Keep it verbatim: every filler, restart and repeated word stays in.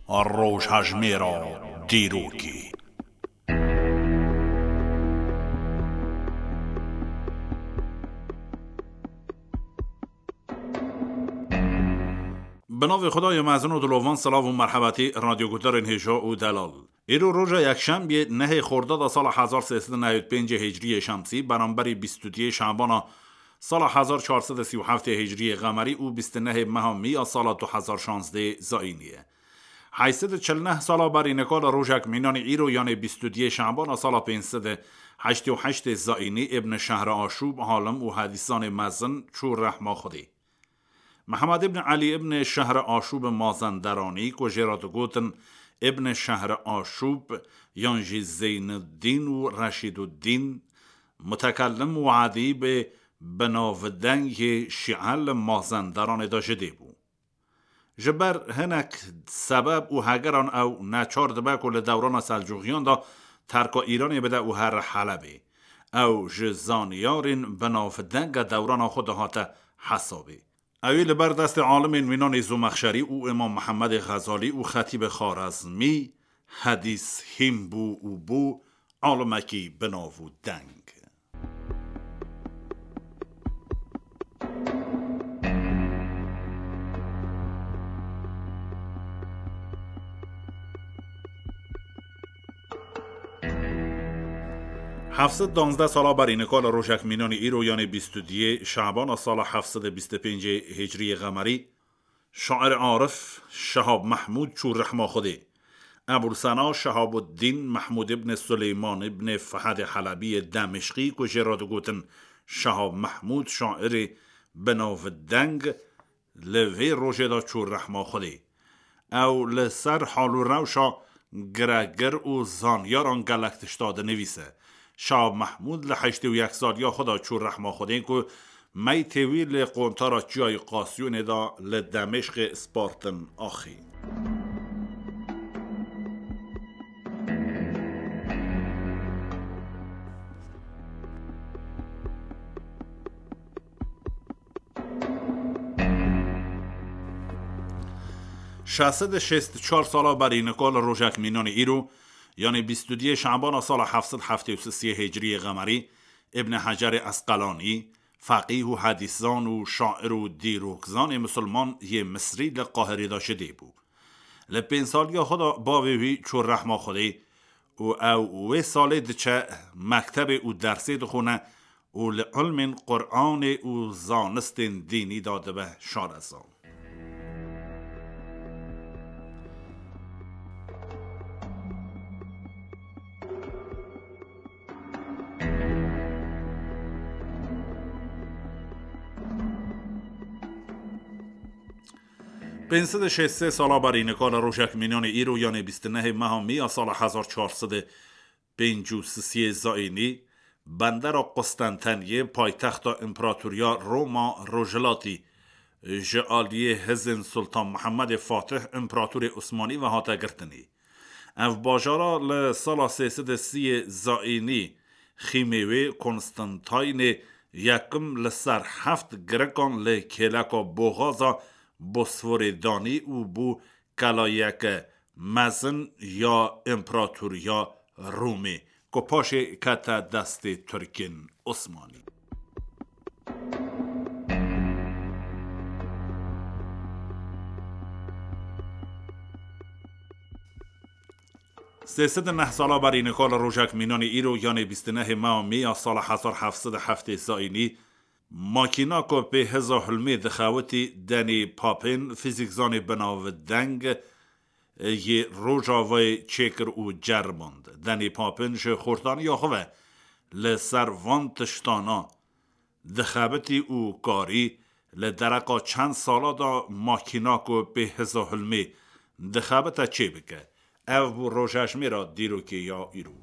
Rojhejmêra dîrokê. Bi navê Xwedayê mezin û dilovan, silav û merhebetî radyoguhdarên hêja û delal. Îro roja yekşembiyê nehê Xordada sala hezar sê sed û newî pêncê hicriyê şemsî, beramberî bîst û duyê şabana sala hezar çar sed û sî û heftê hicriyê qemerî û bîst û nehê meha mîya sala du hezar şazdê zayînî ye. Heyt sed û çil neh sala berî nika li rojek mînanî îro, yanê bîst û duyê şabana sala pênc sed û heştê û heştê zayînî, Îbn Şehre Aşûb, alim û hedîsanê mezin, çû rehma Xwedê. Mihemed îbn Elî îbn Şehre Aşûb Mazenderanî, ku jê re digotin Îbn Şehre Aşûb yan jî Zeynuddîn û Reşîduddîn, mutekellim û edîbê binavdengê şîe li Mazenderanê de ji dê bû. Ji ber hinek sebeb û hegeran ew neçar dibe ku li dewrana Selcûxiyan de terka Îranê bide û here Helebê. Ew ji zanyarên binavdenge dewrana xwe dihate hesabê. Ewî li ber destê alimên mînanê Zomexşerî û Îmam Mihemedê Xezalî û Xetîbê Xarezmî hedîs hîn bû û bû alimekî binav û deng. Heft sed danzdeh sala berî nika li rojek mînanî îro, yanê bîst û duyê şabana sala heft sed û bîst û pêncê hicriyê qemerî, şair arif Şehab Mehmûd çû rehma Xwedê. Ebûl Sena Şehabuddîn Mehmûd îbnê Suleyman îbnê Fehedê Helebî yê Demişqî, ku jê re digotin Şehab Mehmûd, şairê binavdeng, li vê rojê de çû rehma Xwedê. Ew li ser hal û rewşa giregir û zanyaran gelek tişta dinivîse. Şah Mehmûd li heştê û yek saliya xwe de çû rehma Xwedê, ku meytê wî li qontara Çiyayê Qasiyonê de li Demişqê spartin axê. Şeş sed û şêst û çar sala berî nika li rojek mînanê îro, yanê bîst û duyê şabana sala heft sed heftê û sê hicriyê qemerî, Îbn Hecerê Esqelanî, feqîh û hedîszan û şair û dîrokzanê misilman yê Misrî li Qahirê de ji dê bû. Li pênc saliya xwe de bavê wî çû rehma Xwedê û ew wê salê diçe mektebê û dersê dixwine û li ilmên Quranê û zanistên dînî de dibe şarezan. Pênc sed û şêst sê sala berî nika li rojek mînanê îro, yanê bîst û nehê meha Mî ya sala hezar çar sed û pêncî û sisiyê zayînî, bendera Qustenteniyê, paytexta Împaratoriya Roma Rojhilatî, ji aliyê hizên Sultan Mihemedê Fatih, Împaratorê Osmanî ve hate girtinî. Ev bajara li sala sê sed û sî zayînî xîmê wê Konstantînê Yekim li ser heft girikan li kêleka boxaza Bosforê danî û bû kelayeke mezin ya Împaratoriya Romê, ku paşê kete destê Tirkên Osmanî. Sê sed û neh sala berî nika li rojek mînanê îro, yanê bîst û nehê meha Mî ya sala hezar heft sed û heftê zayînî, makîna ku pê hiza hilmê dixewitî, Denî Papên, fîzîkzanê binavdeng, yê Rojavayê çêkir û ceriband. Denî Papên ji xortaniya xwe ve li ser van tiştana dixebitî û karî li dereqa çend sala de makîna ku pê hiza hilmê dixebite çêbike. Ev bû rojejmêra dîrokê ya îro.